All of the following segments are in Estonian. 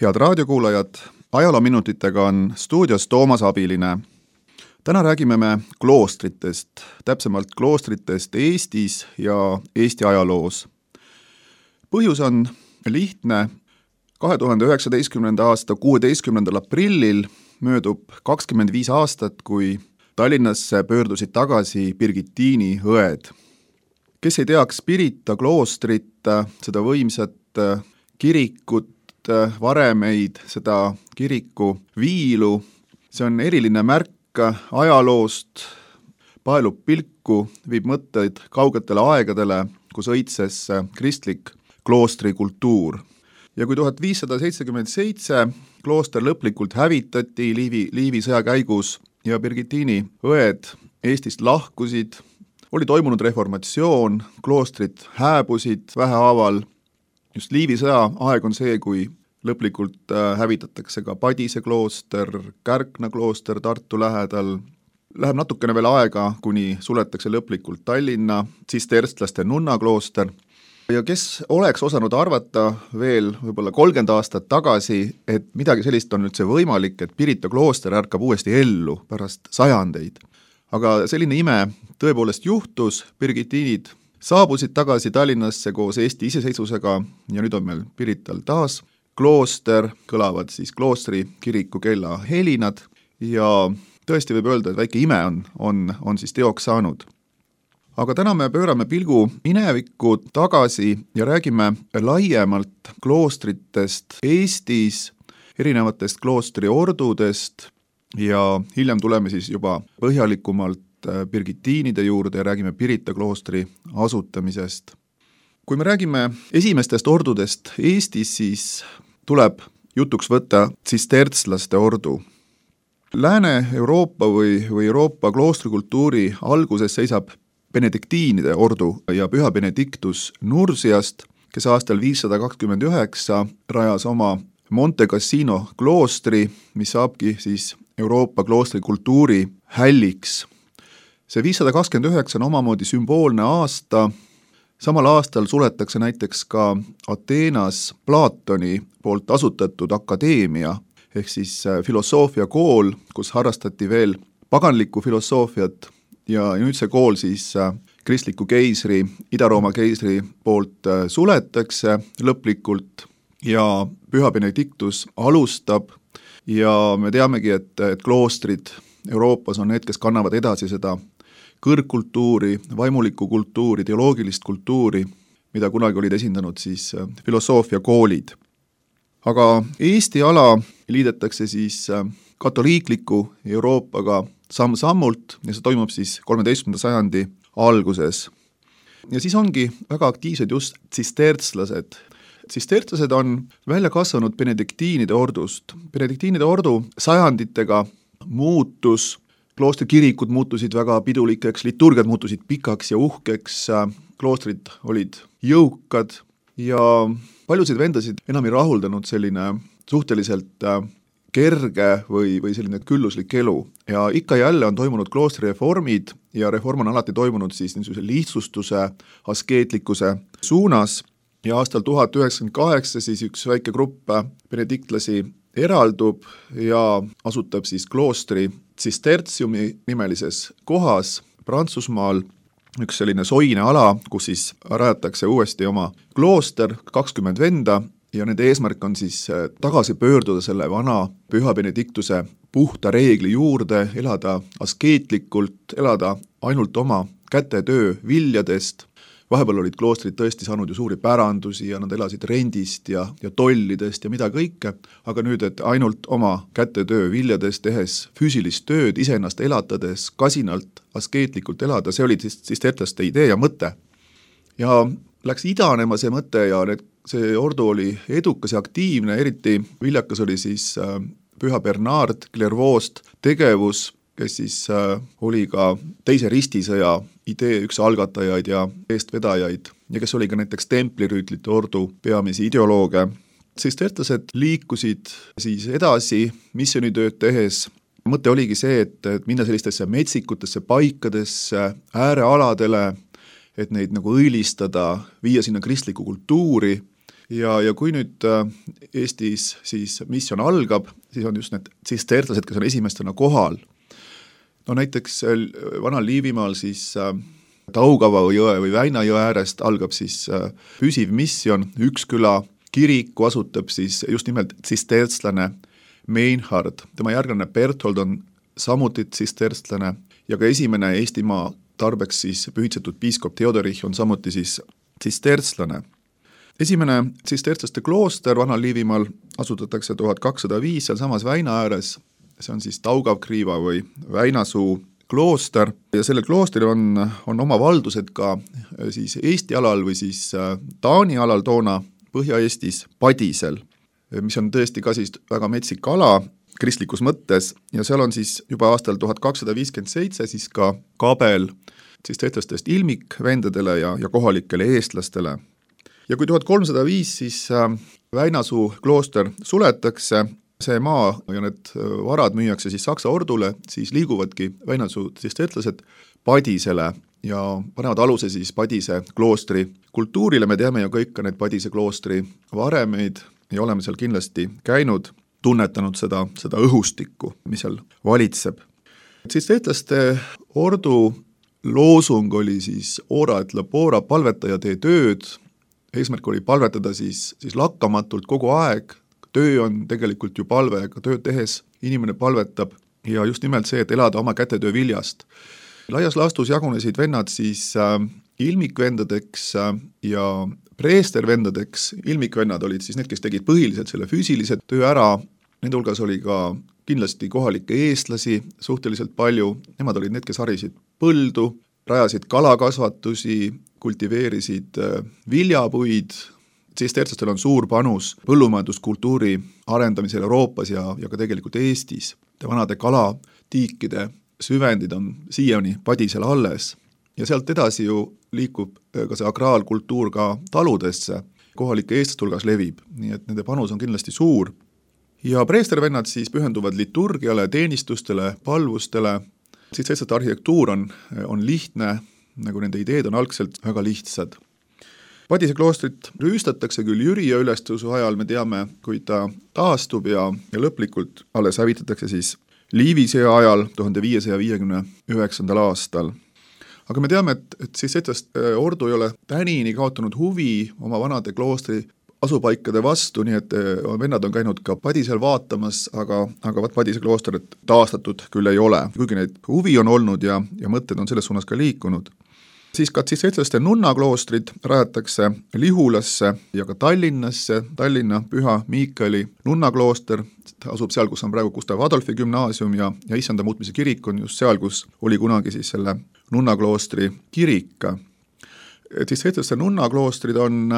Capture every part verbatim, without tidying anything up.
Head raadiokuulajad, ajaloominutitega on stuudios Toomas Abiline. Täna räägime me kloostritest, täpsemalt kloostritest Eestis ja Eesti ajaloos. Põhjus on lihtne. kahe tuhande üheksateistkümnenda aasta kuueteistkümnendal aprillil möödub kakskümmend viis aastat, kui Tallinnasse pöördusid tagasi Birgitiini õed. Kes ei teaks Pirita kloostrit, seda võimsat kirikut, varemeid, seda kiriku viilu, see on eriline märk ajaloost, paelub pilku, viib mõtteid kaugetele aegadele, kus õitses kristlik kloostrikultuur. Ja kui tuhat viissada seitsekümmend seitse klooster lõplikult hävitati Liivi, Liivi sõja käigus ja Birgitiini õed Eestist lahkusid, oli toimunud reformatsioon, kloostrid hääbusid vähehaaval. Just Liivi sõja aeg on see, kui lõplikult hävitatakse ka Padise klooster, Kärkna klooster Tartu lähedal. Läheb natukene veel aega, kuni suletakse lõplikult Tallinna tsisterstlaste nunna klooster. Ja kes oleks osanud arvata veel võib-olla kolmkümmend aastat tagasi, et midagi sellist on üldse võimalik, et Pirita klooster ärkab uuesti ellu pärast sajandeid. Aga selline ime tõepoolest juhtus, Birgitiinid saabusid tagasi Tallinnasse koos Eesti iseseisvusega ja nüüd on meil Pirital taas klooster, kõlavad siis kloostri kiriku kella helinad ja tõesti võib öelda, et väike ime on, on, on siis teoks saanud. Aga täna me pöörame pilgu minevikku tagasi ja räägime laiemalt kloostritest Eestis, erinevatest kloostriordudest ja hiljem tuleme siis juba põhjalikumalt Birgitiinide juurde ja räägime Pirita kloostri asutamisest. Kui me räägime esimestest ordudest Eestis, siis tuleb jutuks võtta tsistertslaste ordu. Lääne-Euroopa või, või Euroopa kloostrikultuuri alguses seisab benediktiinide ordu ja püha Benedictus Nursiast, kes aastal viissada kakskümmend üheksa rajas oma Monte Cassino kloostri, mis saabki siis Euroopa kloostrikultuuri hälliks. See viissada kakskümmend üheksa on omamoodi sümboolne aasta. Samal aastal suletakse näiteks ka Ateenas Platoni poolt asutatud akadeemia, ehk siis filosoofia kool, kus harrastati veel paganlikku filosoofiat ja nüüd see kool siis kristliku keisri, Ida-Rooma keisri poolt suletakse lõplikult ja püha Benedictus alustab ja me teamegi, et, et kloostrid Euroopas on need, kes kannavad edasi seda kõrgkultuuri, vaimulikku kultuuri, teoloogilist kultuuri, mida kunagi olid esindanud siis filosoofia koolid. Aga Eesti ala liidetakse siis katoliikliku Euroopaga samm-sammult ja see toimub siis kolmeteistkümnenda sajandi alguses. Ja siis ongi väga aktiivsed just tsistertslased. Tsistertslased on välja kasvanud benediktiinide ordust. Benediktiinide ordu sajanditega muutus, kloostrikirikud muutusid väga pidulikeks, liturgiad muutusid pikaks ja uhkeks, kloostrid olid jõukad ja paljusid vendasid enam ei rahuldanud selline suhteliselt kerge või, või selline külluslik elu. Ja ikka jälle on toimunud kloostrireformid ja reform on alati toimunud siis niisuguse lihtsustuse, askeetlikkuse suunas ja aastal tuhat üheksakümmend kaheksa siis üks väike grupp benediktlasi eraldub ja asutab siis kloostri Tsistertsiumi nimelises kohas Prantsusmaal, üks selline soine ala, kus siis rajatakse uuesti oma klooster, kakskümmend venda ja nende eesmärk on siis tagasi pöörduda selle vana püha Benediktuse puhta reegli juurde, elada askeetlikult, elada ainult oma kätetöö viljadest. Vahepeal olid kloostrid tõesti saanud ju suuri pärandusi ja nad elasid rendist ja, ja tollidest ja mida kõike, aga nüüd, et ainult oma kätetöö viljadest tehes füüsilist tööd, iseennast elatades, kasinalt, askeetlikult elada, see oli siis, siis tetlaste idee ja mõte. Ja läks idanema see mõte ja need, see ordu oli edukas ja aktiivne, eriti viljakas oli siis äh, püha Bernard Clairvaux'st tegevus, kes siis äh, oli ka teise ristisõja idee üks algatajaid ja eestvedajaid ja kes oli ka näiteks templirüütlite ordu peamisi ideolooge. Tsistertlased liikusid siis edasi missioonitööd tehes. Mõte oligi see, et, et minna sellistesse metsikutesse paikadesse, äärealadele, et neid nagu õilistada, viia sinna kristlikku kultuuri ja, ja kui nüüd Eestis siis missioon algab, siis on just need tsistertlased, kes on esimestena kohal. No näiteks vanal Liivimaal siis Taugava jõe või Väina jõe äärest algab siis püsiv missioon, üks küla kiriku asutab siis just nimelt tsistertslane Meinhard, tema järglane Berthold on samuti tsisterstlane ja ka esimene Eestimaa tarbeks siis pühitsetud piiskop Theodorich on samuti siis tsistertslane. Esimene tsistertslaste klooster vanal Liivimaal asutatakse tuhat kakssada viis seal samas Väina ääres, see on siis Taugavkriiva või Väinasuu klooster ja sellel kloostril on, on oma valdused ka siis Eesti alal või siis Taani alal toona Põhja-Eestis Padisel, mis on tõesti ka siis väga metsik ala kristlikus mõttes ja seal on siis juba aastal tuhat kakssada viiskümmend seitse siis ka kabel tsistertlastest ilmikvendadele ja, ja kohalikele eestlastele. Ja kui tuhat kolmsada viis siis Väinasuu klooster suletakse, see maa ja need varad müüakse siis Saksa ordule, siis liiguvadki Väinasuu tsistertlased Padisele ja panevad aluse siis Padise kloostri kultuurile, me teame ju kõik ka need Padise kloostri varemeid ja oleme seal kindlasti käinud, tunnetanud seda, seda õhustikku, mis seal valitseb. Tsistertlaste ordu loosung oli siis ora et labora, palvetaja tee tööd, eesmärk oli palvetada siis, siis lakkamatult kogu aeg, töö on tegelikult ju palve, aga tööd tehes inimene palvetab ja just nimelt see, et elada oma kätetöö viljast. Laias laastus jagunesid vennad siis äh, ilmikvendadeks äh, ja preestervendadeks, ilmikvennad olid siis need, kes tegid põhiliselt selle füüsilise töö ära, nende hulgas oli ka kindlasti kohalikke eestlasi suhteliselt palju, nemad olid need, kes harisid põldu, rajasid kalakasvatusi, kultiveerisid viljapuid, tsistertlastel on suur panus põllumajanduskultuuri arendamisel Euroopas ja, ja ka tegelikult Eestis. Vanade kalatiikide süvendid on siiani Padisel alles ja sealt edasi ju liikub ka see akraalkultuur ka taludesse, kohalike eestlaste hulgas levib, nii et nende panus on kindlasti suur. Ja preestervennad siis pühenduvad liturgiale, teenistustele, palvustele, tsistertlaste arhitektuur on, on lihtne, nagu nende ideed on algselt väga lihtsad. Padise kloostrit rüüstatakse küll Jüriö ülestõusu ajal, me teame, kui ta taastub ja, ja lõplikult alles hävitatakse siis Liivisõja ajal tuhande viiesaja viiekümne üheksandal aastal. Aga me teame, et, et siis tsistertlaste ordu ei ole tänini kaotanud huvi oma vanade kloostri asupaikade vastu, nii et vennad on käinud ka Padisel vaatamas, aga, aga vaat Padise kloosterit taastatud küll ei ole, kuigi neid huvi on olnud ja, ja mõtted on selles suunas ka liikunud. Siis ka tsistertlaste nunnakloostrid rajatakse Lihulasse ja ka Tallinnasse, Tallinna Püha Miikali nunnaklooster asub seal, kus on praegu Gustav Adolfi gümnaasium ja, ja Issanda muutmise kirik on just seal, kus oli kunagi siis selle nunnakloostri kirik. Tsistertlaste nunnakloostrid on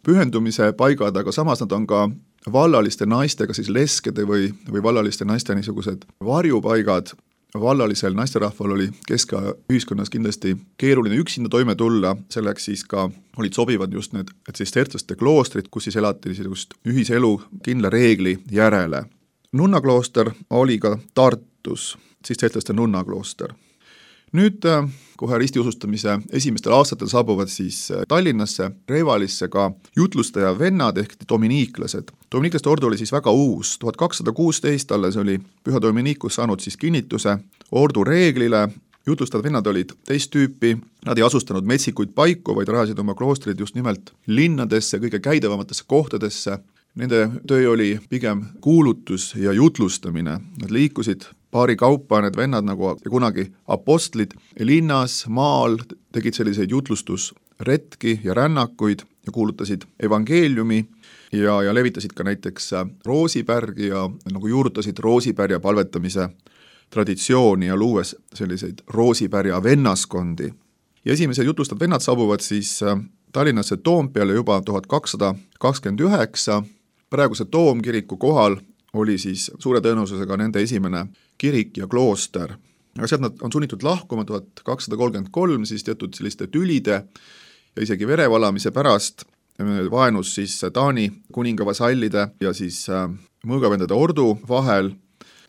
pühendumise paigad, aga samas nad on ka vallaliste naistega siis leskede või, või vallaliste naiste niisugused varjupaigad. Vallalisel naisterahval oli keskaja ühiskonnas kindlasti keeruline üksinda toime tulla, selleks siis ka olid sobivad just need tsistertlaste kloostrid, kus siis elati just ühiselu kindla reegli järele. Nunnaklooster oli ka Tartus, tsistertlaste nunnaklooster. Nüüd kohe ristiusustamise esimestel aastatel saabuvad siis Tallinnasse, Revalisse ka jutlustaja vennad ehk dominiiklased. Dominiiklaste ordu oli siis väga uus, tuhat kakssada kuusteist alles oli Püha Dominikus saanud siis kinnituse ordu reeglile, jutlustavad vennad olid teist tüüpi, nad ei asustanud metsikuid paiku, vaid rajasid oma kloostrid just nimelt linnadesse, kõige käidavamatesse kohtadesse. Nende töö oli pigem kuulutus ja jutlustamine, nad liikusid paari kaupa, need vennad nagu kunagi apostlid linnas, maal, tegid selliseid jutlustusretki ja rännakuid ja kuulutasid evangeeliumi ja, ja levitasid ka näiteks roosipärgi ja nagu juurutasid roosipärja palvetamise traditsiooni ja luues selliseid roosipärja vennaskondi. Ja esimesed jutlustad vennad saabuvad siis Tallinnasse Toompeale juba tuhat kakssada kakskümmend üheksa, praeguse Toomkiriku kohal oli siis suure tõenäosusega nende esimene kirik ja klooster. Aga sealt nad on sunnitud lahkuma tuhat kakssada kolmkümmend kolm siis teatud selliste tülide ja isegi verevalamise pärast vaenus siis Taani kuninga vasallide ja siis mõõgavendade ordu vahel.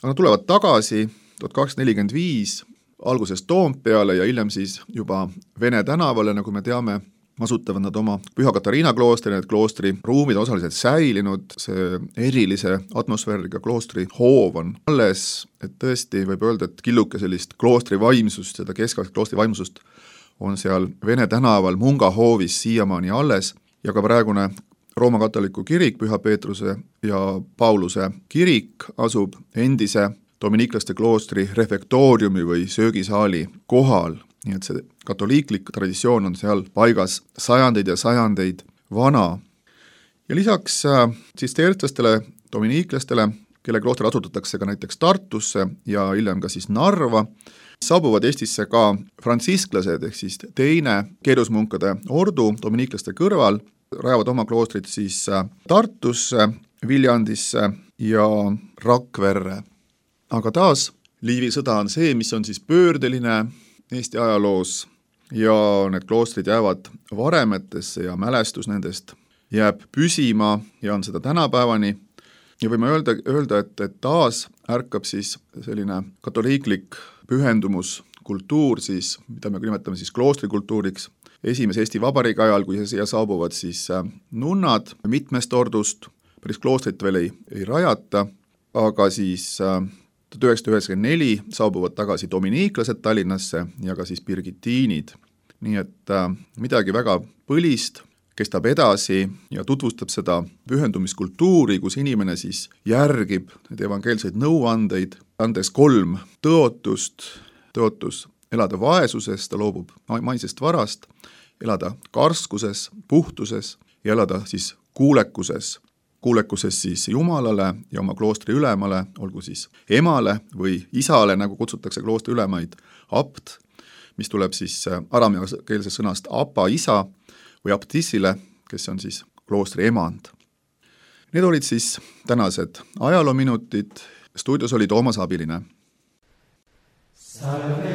Nad tulevad tagasi tuhat kakssada nelikümmend viis alguses Toompeale ja hiljem siis juba Vene tänavale, nagu me teame, asutavad nad oma Püha Katariina kloostri, need kloostri ruumid osaliselt säilinud, see erilise atmosfääriga kloostri hoov on alles, et tõesti võib öelda, et killuke sellist kloostri vaimsust, seda keskaegset kloostri vaimsust on seal Vene tänaval Munga hoovis siiamaani alles ja ka praegune Rooma katoliku kirik, Püha Peetruse ja Pauluse kirik asub endise dominiiklaste kloostri refektooriumi või söögisaali kohal, nii et see katoliiklik traditsioon on seal paigas sajandeid ja sajandeid vana. Ja lisaks tsistertlastele, dominiiklastele, kelle klooster asutatakse ka näiteks Tartusse ja hiljem ka siis Narva, saabuvad Eestisse ka frantsisklased ehk siis teine keerusmunkade ordu dominiiklaste kõrval, rajavad oma kloostrid siis Tartusse, Viljandisse ja Rakverre. Aga taas Liivi sõda on see, mis on siis pöördeline Eesti ajaloos ja need kloostrid jäävad varemetesse ja mälestus nendest jääb püsima ja on seda tänapäevani. Ja võime öelda, öelda et, et taas ärkab siis selline katoliiklik pühendumuskultuur, siis, mida me nimetame siis kloostrikultuuriks, esimese Eesti Vabariigi ajal, kui siia saabuvad siis nunnad mitmest ordust, päris kloostrit veel ei, ei rajata, aga siis tuhat üheksasada üheksakümmend neli saabuvad tagasi dominiiklased Tallinnasse ja ka siis birgitiinid. Nii et äh, midagi väga põlist kestab edasi ja tutvustab seda pühendumiskultuuri, kus inimene siis järgib need evangeelseid nõuandeid, andes kolm tõotust, tõotus elada vaesuses, ta loobub maisest varast, elada karskuses, puhtuses ja elada siis kuulekuses. kuulekuses siis Jumalale ja oma kloostri ülemale, olgu siis emale või isale, nagu kutsutakse kloostri ülemaid, apt, mis tuleb siis arameakeelsest sõnast apa isa või aptissile, kes on siis kloostri emand. Need olid siis tänased ajaloominutid, stuudios oli Toomas Abiline. Salve.